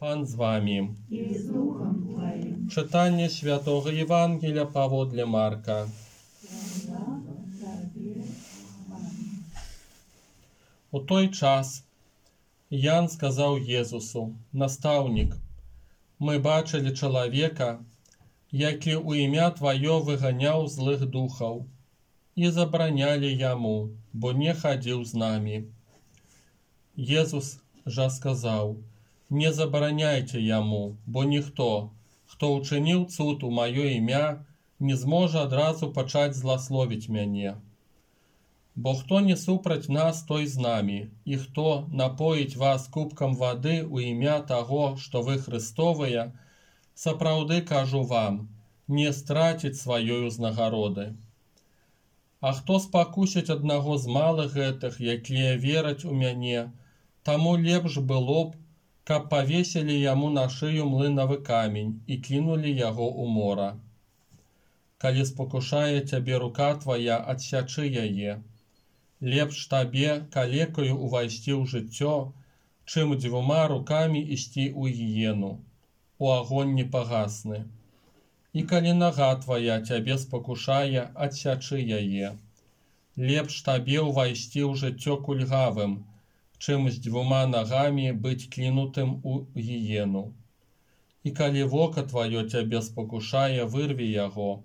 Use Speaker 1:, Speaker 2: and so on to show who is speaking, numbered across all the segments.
Speaker 1: Пан з вами.
Speaker 2: и с Духом Твоим.
Speaker 1: Читання Святого Євангелія паводле Марка.
Speaker 2: Слава Тебе, Аминь.
Speaker 1: У той час Ян сказав Єсусу: «Наставник, ми бачили чоловіка, який у ім'я Твоє виганяв злих духов, і забороняли йому, бо не ходив з нами». Єсус же сказав: «Не забороняйте йому, бо ніхто, хто учинив цуд у моє ім'я, не зможе одразу почати злословить мене. Бо хто не супроть нас, той з нами, і хто напоїть вас кубком води у ім'я того, що ви Христовые, сапраўды кажу вам, не стратить своєї узнагороди. А хто спокусить одного з малих гэтых, які вірять у мене, тому лепш было б, каб повесили йому на шию млиновий камінь і кинули його у мора. Калі спокушає тебе рука твоя, отсячи яе. Лепш табе калекою увайсці ў жыццё, чым двума руками ісці ў гіену, у агонь непагасны. І калі нага твоя тебе спокушае, отсячы яе. Лепш табе увайсці ў жыццё кульгавым, чым з двума ногами быць кинутым у гіену. І калі вока твоё тебе спокушае, вырви яго.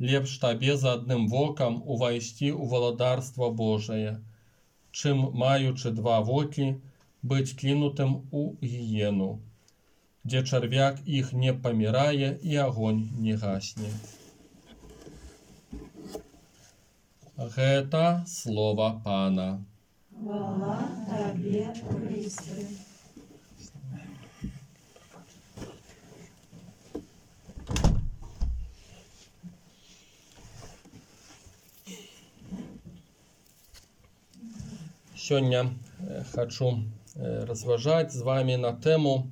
Speaker 1: Лепш табе за адным вокам увайсці ў валадарства Божае, чым, маючы два вокі, быць кинутым у гіену, дзе чарвяк іх не памірае і агонь не гасне». Гэта слова Пана.
Speaker 2: Хвала Тебе, Христе.
Speaker 1: Сёння хочу разважаць з вами на тему,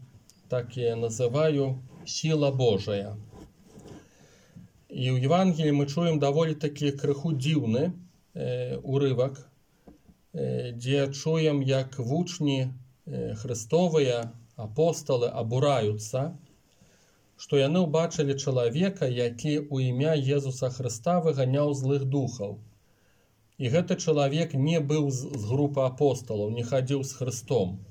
Speaker 1: так я называю, «Сила Божая». І ў Евангелии мы чуем даволі такі крыху дзіўны урывак, дзе чуем, як вучні Христовыя, апостолы абураюцца, што яны ўбачылі чалавека, які ў імя Езуса Христа выганяў злых духаў. І гэты чалавек не быў з групы апостолаў, не хадзіў з Христом.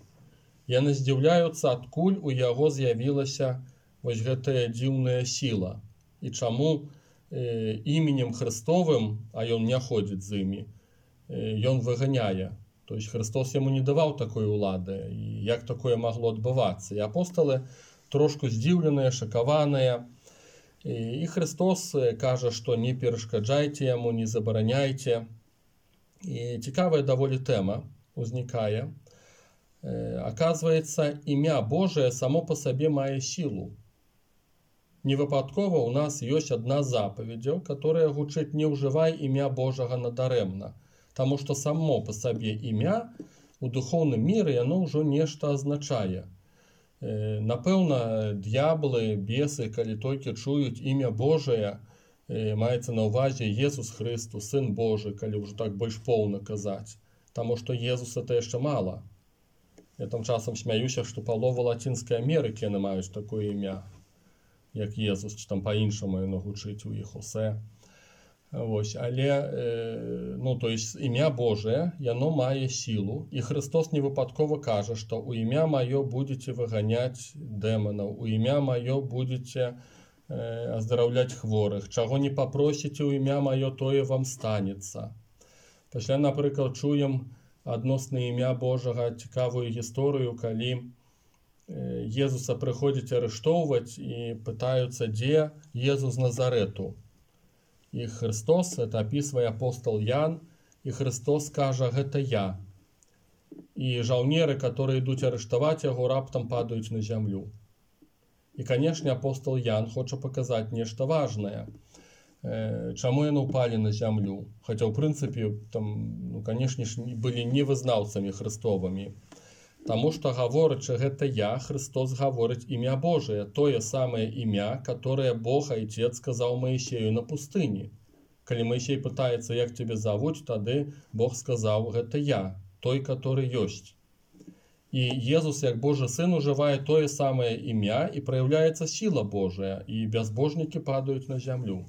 Speaker 1: Яны здзіўляюцца, адкуль у яго з'явілася вось гэтая дзіўная сіла. І чаму іменем Христовым, а ён не ходзіць з імі, ён выганяе. То есть Христос яму не даваў такой улады. І як такое магло адбывацца? І апостолы трошку здзіўленыя, шакаваныя. І Христос кажа, што не перашкаджайце яму, не забараняйце. І цікавая даволі тэма узнікае. Оказывается, імя Божие само по сабе мае сілу. Невыпадкова у нас ёсць адна з запаведзяў, которая гучыць: «Не ўжывай імя Божага надаремна», таму што само по сабе імя у духовным міры яно ўжо нешта азначае. Напэўна, д'яблы, бесы, калі толькі чуюць імя Божае, маецца на ўвазе Jesús Христос, Сын Божий, калі ўжо так больш поўна казаць. Таму што Jesús это яшчэ мала. Я там часам смяюся, што палова Лацінскай Амерыкі яны маюць такое імя, як Jesús, ці там па-іншаму яно гучыць у іх усе. Вось, але, то есть імя Божие, яно мае сілу, і Христос не выпадкова кажа, што у імя маё будзеце выганяць дэманаў, у імя маё будзеце аздараўляць хворых, чаго не папросіце ў імя маё, тое вам станецца. Пасля, напрыклад, чуем адносна імя Божага цікавую гісторыю, калі Езуса прыходзяць арыштоўваць і пытаюцца, дзе Езус Назарету. І Христос, это апісвае апостол Ян, і Христос кажа: «Гэта я». І жаўнеры, которые ідуць арыштаваць яго, раптам падаюць на зямлю. І, канешне, апостол Ян хоча паказаць нешта важнае. Чаму яны ўпалі на зямлю? Хаця, ў прынцыпе, там, канешне, былі не вызнаўцамі Христовымі. Таму што, гаворачы «гэта я», Христос гаворыць імя Божие, тое самае імя, которое Бог Отец сказаў Моисею на пустыні. Калі Моисей пытаецца, як тебе зовут, тады Бог сказаў: «Гэта я, той, который ёсць». І Езус, як Божий Сын, уживае тое самае імя, і праяўляецца сіла Божая, і бязбожнікі падаюць на зямлю.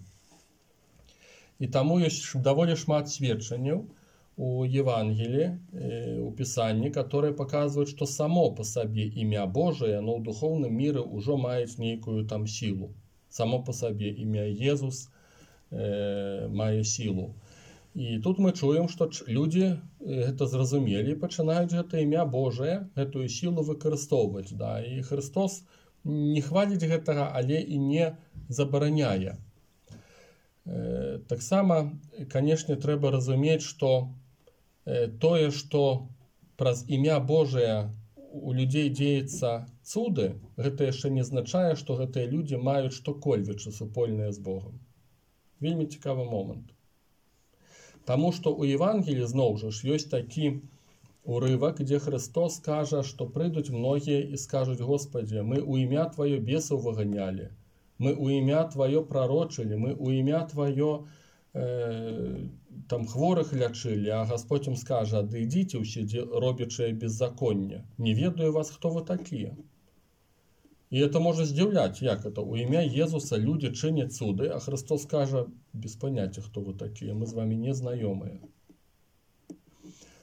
Speaker 1: І таму ёсць даволі шмат сведчанняў у Евангелии, у Писанні, которые показывают, что само по себе імя Божие, оно ў духовным мире ўжо маюць нейкую там силу. Само по себе імя Езус мае силу. І тут мы чуем, што людзі гэта зразумелі і пачынаюць гэта імя Божие, гэтую силу выкарыстоўваць. Да? І Христос не хваліць гэтага, але і не забараняе. Таксама, канешне, трэба разумець, што тое, што праз імя Божае у людзей дзеецца цуды, гэта яшчэ не азначае, што гэтыя людзі маюць што-кольвек супольнае з Богом. Вельмі цікавы момант. Таму што ў Евангеліі зноў жа ж ёсць такі урывак, дзе Христос кажа, што прыйдуць многія і скажуць: Господі, мы ў імя Тваё бесаў выганялі, мы ў імя Тваё прарочылі, мы ў імя Тваё там хворых лячылі, а Господь им скажа: да ідзіце ўсе, робячыя беззаконне, не ведаю вас, хто вы такія. І это можа здзіўляць, як это у імя Езуса людзі чыняць цуды, а Христос кажа: без паняцця, хто вы такія, мы з вами не знаёмыя.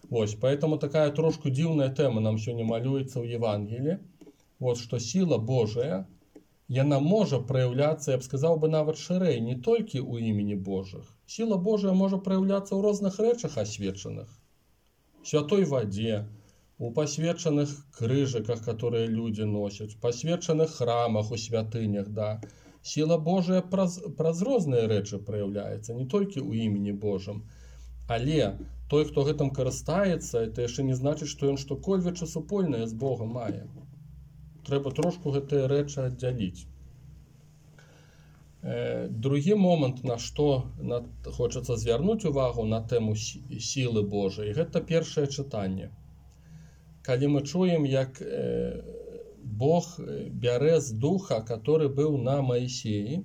Speaker 1: Вось, поэтому такая трошку дзіўная тэма нам сёння малюецца ў Евангеліі. Вот, што сіла Божая, яна можа праяўляцца, я б сказаў бы, нават шырэй, не толькі ў імені Божых. Сіла Божая можа праяўляцца ў розных рэчах асвечаных. В святой вадзе, у пасвечаных крыжыках, которые людзі носяць, пасвечаных храмах, у святынях, да. Сіла Божая праз розныя рэчы праяўляецца, не толькі ў імені Божым. Але той, хто гэтым карыстаецца, это яшчэ не значыць, што ён што-кольвек супольнае з Богом мае. Трэба трошку гэтыя рэчы аддзяліць. Другі момант, на што хочацца звярнуць увагу на тэму сілы Божай, гэта першае чытанне. Калі мы чуем, як Бог бярэ з духа, который быў на Маісеі,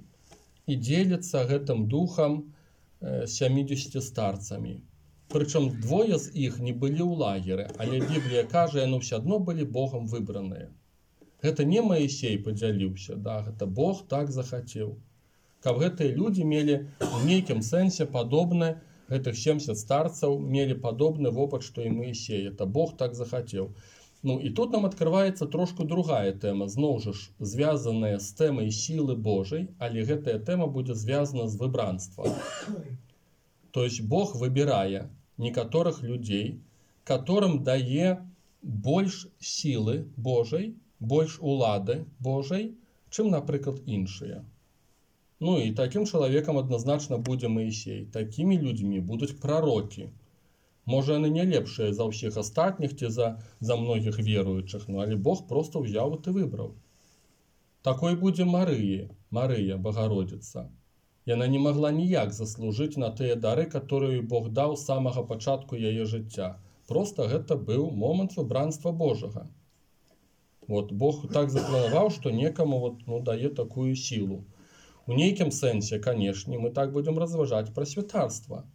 Speaker 1: і дзеліцца гэтым духам 70 старцамі. Прычым двое з іх не былі ў лагеры, але Біблія кажа, яны ўсё адно былі Богом выбраныя. Гэта не Маісей падзяліўся, да, гэта Бог так захацеў. Каб гэтыя людзі мелі ў нейкім сэнсе падобны, гэтых 70 старцаў мелі падобны вопыт, што і Маісей. Это Бог так захацеў. Ну і тут нам адкрываецца трошку другая тэма, зноў жа ж звязаная з тэмай сілы Божай, але гэтая тэма будзе звязана з выбранствам. То есть Бог выбірае некаторых людзей, которым дае больш сілы Божай, больш улады Божай, чым, напрыклад, іншыя. Ну і такім чалавекам адназначна будзе Маісей. Такімі людзьмі будуць прарокі. Можа, яны не лепшыя за ўсіх астатніх ці за многіх веруючых, ну, але Бог проста ўзяў і выбраў. Такой будзе Марыя, Богородица. Яна не магла ніяк заслужыць на тыя дары, которые Бог даў з самага пачатку яе жыцця. Проста гэта быў момант выбранства Божага. Вот, Бог так запланаваў, што некаму дае такую сілу. У нейкім сэнсе, канешне, мы так будзем разважаць пра святарства.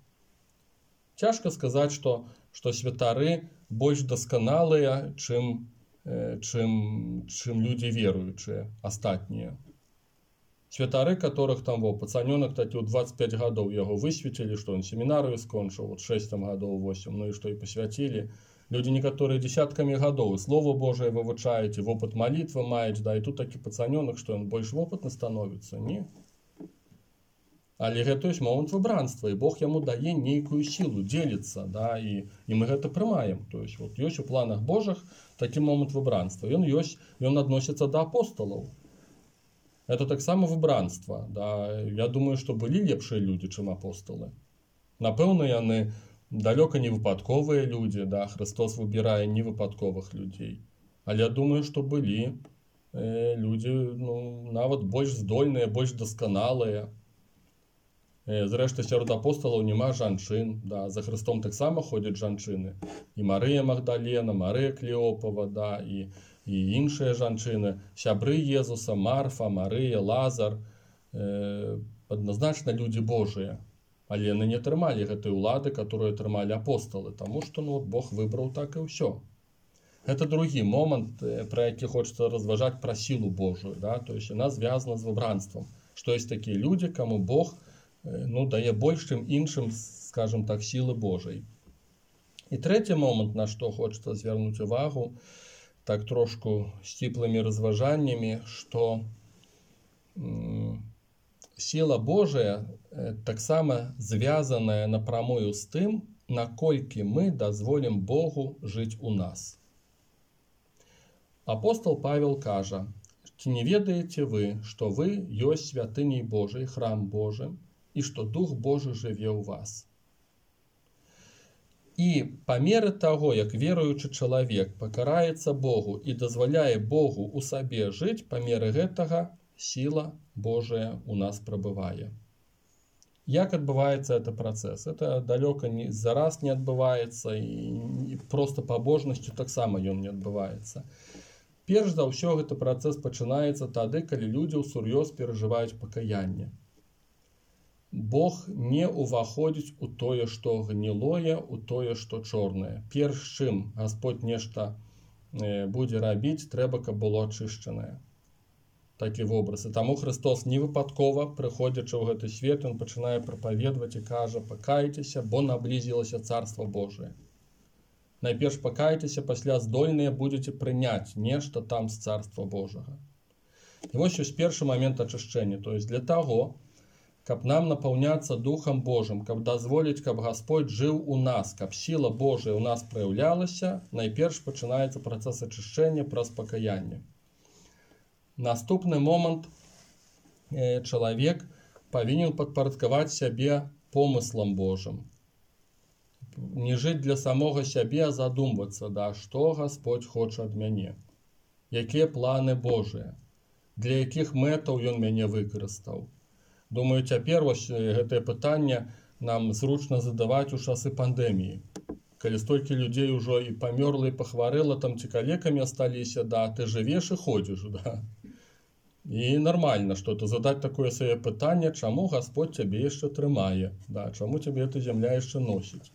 Speaker 1: Цяжка сказаць, што святары больш дасканалыя, чым людзі веруючыя, астатнія. Святары, которых там пацанёнак такі ў 25 гадоў яго высветілі, што ён семінарыю скончыў, 6 гадоў, 8, ну і што і пасвяцілі. Людзі некаторыя дзесяткамі гадоў Слово Божие вывучаюць, і вопыт малітвы маюць, да, і тут такі пацанёнак, што ён больш вопытны становіцца, не? Але гэта ёсць момант выбранства, і Бог яму дае нейкую сілу, дзеліцца, да, і мы гэта прымаем. То есть ёсць у планах Божых такі момант выбранства. Ён адносіцца да апостолаў. Это таксама выбранства, да. Я думаю, што былі лепшыя людзі, чым апостолы. Напэўна, яны далёка не выпадковыя людзі, да, Христос выбірае невыпадковых людзей. Але я думаю, што былі людзі, ну, нават больш здольныя, больш дасканалыя. Зрэшты, сярод апостолаў няма жанчын, да, за Христом таксама ходзяць жанчыны. І Марыя Магдалена, Марыя Клеопава, да, і іншыя жанчыны, сябры Езуса, Марфа, Марыя, Лазар, адназначна людзі Божыя. Але яны не атрымалі гэтай улады, которую атрымалі апостолы, таму што Бог выбраў так і ўсё. Гэта другі момант, пра які хочацца разважаць, пра сілу Божую, да? То есть яна звязана з выбранствам, што ёсць такія людзі, каму Бог дае больш, чым іншым, скажем так, сілы Божай. І трэці момант, на што хочацца звярнуць увагу, так трошку сціплымі разважаннямі, што сіла Божая таксама звязаная напрамую з тым, наколькі мы дазволім Богу жыць у нас. Апостол Павел кажа: «Ці не ведаеце вы, што вы ёсць святыняй Божай, храм Божы, і што Дух Божы жыве ў вас?» І па меры таго, як веруючы чалавек пакараецца Богу і дазваляе Богу ў сабе жыць, па меры гэтага сіла Божая у нас прабывае. Як адбываецца гэты працэс? Это далёка не зараз не адбываецца, і проста пабожнасцю таксама ён не адбываецца. Перш за ўсё гэты працэс пачынаецца тады, калі людзі ўсур'ёз перажываюць пакаянне. Бог не ўваходзіць у тое, што гнілое, у тое, што чорнае. Перш чым Гасподь нешта будзе рабіць, трэба, каб было ачышчанае. Такі вобраз. І таму Христос не выпадкова, прыходзячы ў гэты свет, ён пачынае прапаведваць і кажа: «Пакайцеся, бо наблізілася Царства Божие». Найперш пакайцеся, пасля здольныя будзеце прыняць нешта там з Царства Божага. І вось ёсць першы момент ачышчэння. То есть для таго, каб нам напаўняцца Духам Божым, каб дазволіць, каб Гасподь жыў у нас, каб сіла Божая ў нас праяўлялася, найперш пачынаецца працэс ачышчэння праз пакаянне. Наступны момант, чалавек павінен падпарадкаваць сябе помыслам Божым. Не жыць для самога сябе, а задумвацца, да, што Гасподь хоча ад мяне, якія планы Божыя, для якіх мэтаў ён мяне выкарыстаў. Думаю, цяпер вось гэтае пытанне нам зручна задаваць у часы пандэміі, калі столькі людзей ужо і памёрла, і пахварэла, там ці калекамі асталіся, да, ты жывеш і ходзіш, да. І нармальна, што ты задаць такое сваё пытанне, чаму Гасподь цябе яшчэ трымае, да, чаму цябе эта зямля яшчэ носіць.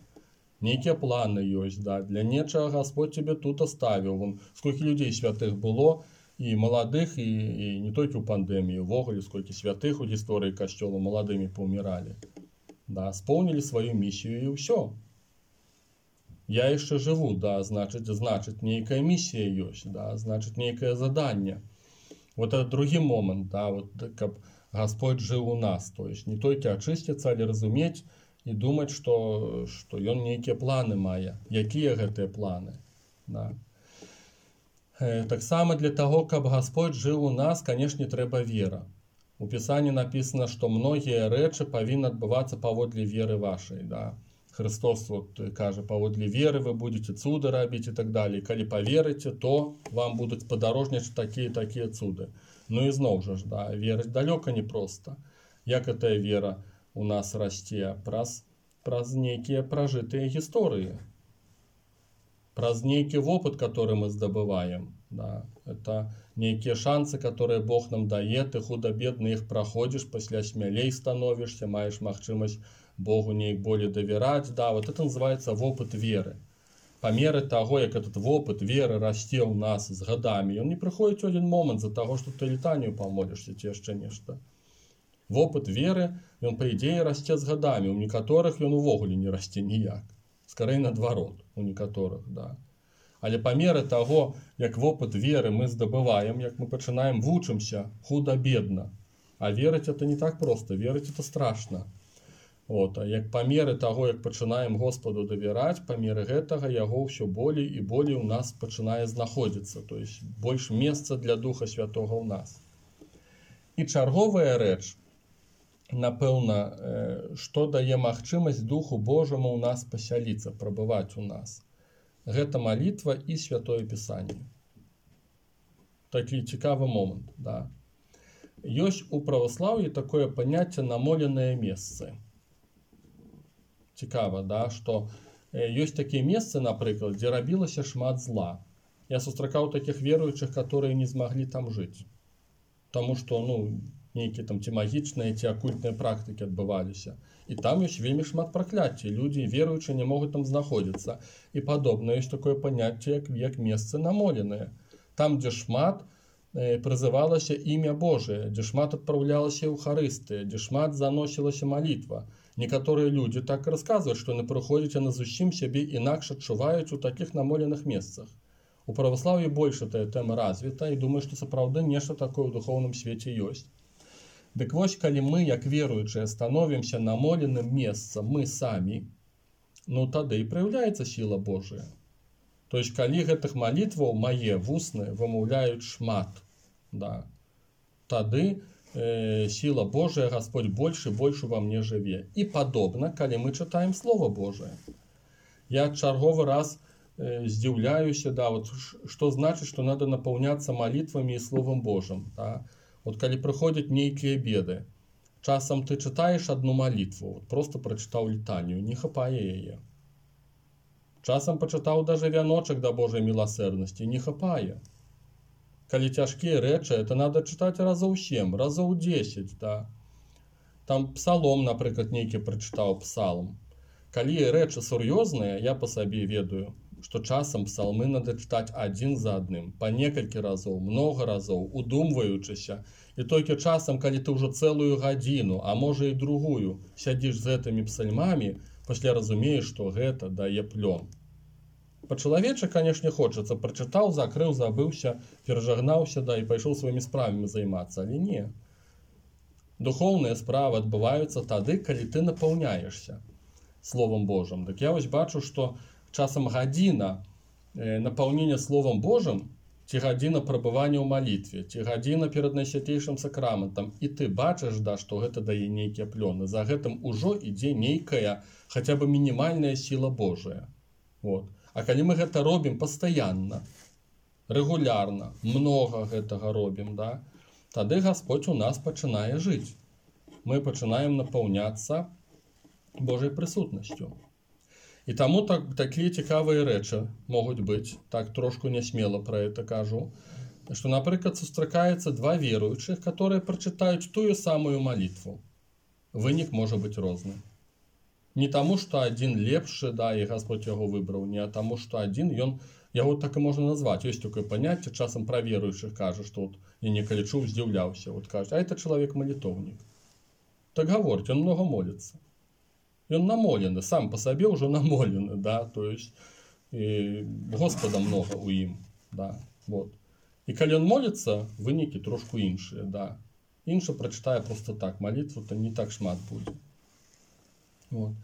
Speaker 1: Нейкія планы ёсць, да, для нечага Гасподь цябе тут аставіў. Вон, сколькі людзей святых было, і маладых, і не толькі ў пандэміі, увогуле, сколькі святых у гісторыі касцёла маладымі паўміралі. Да, споўнілі сваю місію і ўсё. Я яшчэ жыву, да, значыць, нейкая місія ёсць, да, значыць, нейкае заданне. Вот это другі момант, да, вот, каб Гасподь жыў у нас, то есть не толькі ачысціцца, але разумець і думаць, што ён нейкія планы мае. Якія гэтыя планы? Да. Таксама для таго, каб Гасподь жыў у нас, канешне, трэба вера. У Пісанні напісана, што многія рэчы павінны адбывацца паводле веры вашай. Да. Христос вот кажа: паводле веры вы будете цуды рабіць і так далее. Калі паверыце, то вам будуць падарожнічаць такія цуды. Ну і зноў жа, да, верыць далёка не проста. Як гэтая вера у нас расце? Праз нейкія пражытыя гісторыі, праз нейкі вопыт, который мы здабываем. Да. Это нейкія шансы, которые Бог нам дае, ты худа-бедна іх праходзіш, пасля смялей становішся, маеш магчымасць Богу неяк болей давяраць. Да, вот это называется вопыт веры. Па меры таго, як этот вопыт веры расце ў нас з гадамі, ён не прыходзіць у адзін момант з-за таго, што ты літанію памолішся ці яшчэ нешта. Вопыт веры, ён, па ідзеі, расце з гадамі. У некаторых ён увогуле не расце ніяк. Скорей наадварот, у некаторых, да. Але па меры таго, як вопыт веры мы здабываем, як мы пачынаем вучымся худа-бедна. А верыць это не так проста, верыць это страшна. Вот, а як па меры таго, як пачынаем Господу давяраць, па меры гэтага яго ўсё болей і болей у нас пачынае знаходзіцца, то есть больш месца для Духа Святога ў нас. І чарговая рэч, напэўна, што дае магчымасць Духу Божаму ў нас пасяліцца, прабываць у нас. Гэта малітва і Святое Пісанне. Такі цікавы момант, да. Ёсць у праваслаўі такое паняцце намоленыя месцы. Цікава, да, што ёсць такія месцы, напрыклад, дзе рабілася шмат зла. Я сустракаў такіх веруючых, которые не змаглі там жыць. Таму што, нейкія там ці магічныя, ці акультныя практыкі адбываліся. І там ёсць вельмі шмат пракляцця, людзі веруючыя не могуць там знаходзіцца. І падобна ёсць такое паняцце, як месцы намоленыя. Там, дзе шмат прызывалася імя Божие, дзе шмат адпраўлялася Еўхарыстыя, дзе шмат заносілася малітва. Некаторыя людзі так расказваюць, што яны прыходзяць, яны зусім сябе інакш адчуваюць у такіх намоленых месцах. У праваслаўі больш гэтая тэма развіта, і думаю, што сапраўды нешта такое ў духоўным свеце ёсць. Дык вось, калі мы, як веруючыя, становімся намоленым месцам, мы самі, ну тады і праяўляецца сіла Божая. То есть, калі гэтых малітваў мае вусныя вымаўляюць шмат, да, тады сила Божия, Господь больше и больше во мне жыве. И подобно, калі мы читаем Слово Божие. Я чарговы раз здзіўляюся, да, вот, что значит, что надо наполняться молитвами и Словом Божьим. Да? Вот калі приходят нейкие беды, часом ты читаешь одну молитву, вот, просто прочитал літанію, не хапае яе. Часом почитал даже вяночек до Божьей милосердности, не хапае. Калі цяжкія рэчы, это надо чытаць разоў 7, разоў 10, да. Там псалом, напрыклад, нейкі прачытаў псалм. Калі рэчы сур'ёзныя, я па сабе ведаю, што часам псалмы надо чытаць адзін за адным, па некалькі разоў, многа разоў, удумваючыся. І толькі часам, калі ты ўжо цэлую гадзіну, а можа і другую, сядзіш з гэтымі псальмамі, пасля разумееш, што гэта дае плён. По-чалавечы, конечно, хочется. Прочитал, закрыл, забыўся, перажагнаўся, да, і пайшоў сваімі справамі займацца. Але не. Духоўныя справы адбываюцца тады, калі ты напаўняешься Словом Божьим. Так я вось бачу, што часам гадзіна напаўнення Словом Божьим, ці гадзіна прабывання ў малітве, ці гадзіна перад найсвятейшым сакраментам, і ты бачыш, да, што гэта дае нейкія плёны. За гэтым ужо ідзе нейкая, хаця бы мінімальная сіла Божая. Вот. А калі мы гэта робім пастаянна, рэгулярна, многа гэтага робім, да, тады Господь у нас пачынае жыць. Мы пачынаем напаўняцца Божай прысутнасцю. І таму такія цікавыя рэчы могуць быць, так трошку нясмела пра гэта кажу, што, напрыклад, сустракаецца два веруючых, которые прачытаюць тую самую малітву. Вынік можа быць розны. Не таму, што адзін лепшы, да, і Господь яго выбраў, не таму, што адзін, яго так і можна назваць. Ёсць такое паняцце, часам пра веруючых кажа, што вот, я некалі чуў, здзіўляўся, вот кажа, а это чалавек малітоўнік. Так гаворць, он много молится. Ён намолены, сам па сабе ўжо намолены, да, то есть Господа много у ім, да, вот. І калі ён моліцца, вынікі трошку іншыя, да. Іншы прачытае просто так, малітву то не так шмат будзе. Вот.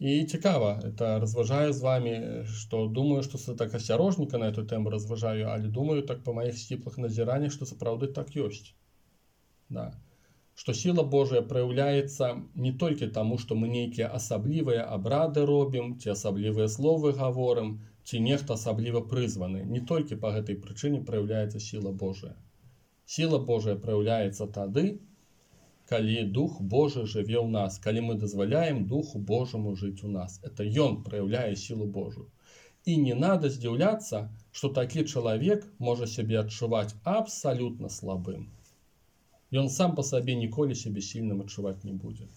Speaker 1: І цікава, это разважаю з вами, што думаю, што так асцярожніка на эту тему разважаю, але думаю так па маіх сціплых назіраннях, што сапраўды так ёсць. Да. Што сіла Божая праяўляецца не толькі таму, што мы нейкія асаблівыя абрады робім, ці асаблівыя словы гаворым, ці нехта асабліва прызваны. Не толькі па гэтай прычыне праяўляецца сіла Божая. Сіла Божая праяўляецца тады, калі Дух Божий жыве ў нас, калі мы дазваляем Духу Божьему жыць у нас. Это Ён праяўляе сілу Божую. І не надо здзіўляцца, што такі чалавек можа сябе адчуваць абсалютна слабым. Ён сам па сабе ніколі сябе сільным адчуваць не будзе.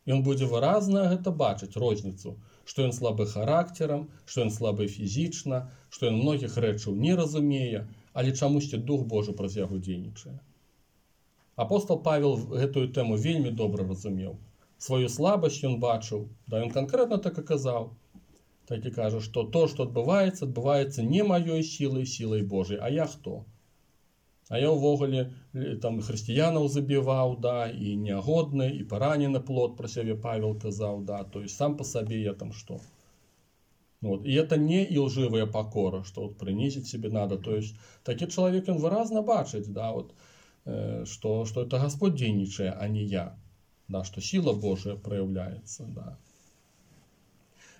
Speaker 1: Ён будзе выразна гэта бачыць, розніцу, што ён слабы характарам, што ён слабы фізічна, што ён многіх рэчаў не разумее, але чамусьці Дух Божий праз яго дзейнічае. Апостол Павел гэтую тэму вельмі добра разумеў. Сваю слабасць ён бачыў, да, ён канкрэтна так і казаў. Так і кажа, што то, што адбываецца не маёй сілай, сілай Божай, а я хто? А я ўвогуле там хрысціянаў забіваў, да, і нягодны, і паранены плод пра сябе Павел казаў, да, то есть сам па сабе я там што? Вот. И это не илживая покора, что вот принизить себе надо. То есть такі чалавек ён выразна бачыць, да, вот, что это Господь дзейнічае, а не я, да, что сила Божия проявляется, да.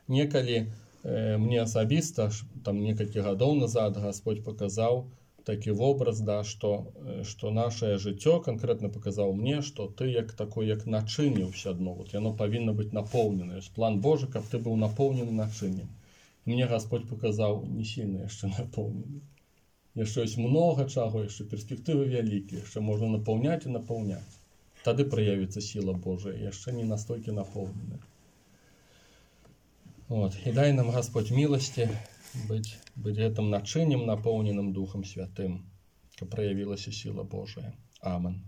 Speaker 1: Некалі мне асабіста, там некалькі гадоў назад Господь показаў такі вобраз, да, что наше жыццё конкретно показаў мне, что ты як такой, як начынне ўсё адно, вот яно павінна быць напоўнена. План Божий, каб ты быў напоўнены начыннем. Мне Господь показаў не сильно яшчэ напоўнены. Яшчэ ёсць много чаго, яшчэ перспектывы вялікія, яшчэ можна напаўняць і напаўняць. Тады праявіцца сіла Божая, яшчэ не настолькі напоўнены. Вот. І дай нам Господь міласці быць гэтым начыннем, напоўненым Духам Святым, каб праявілася сіла Божая. Амен.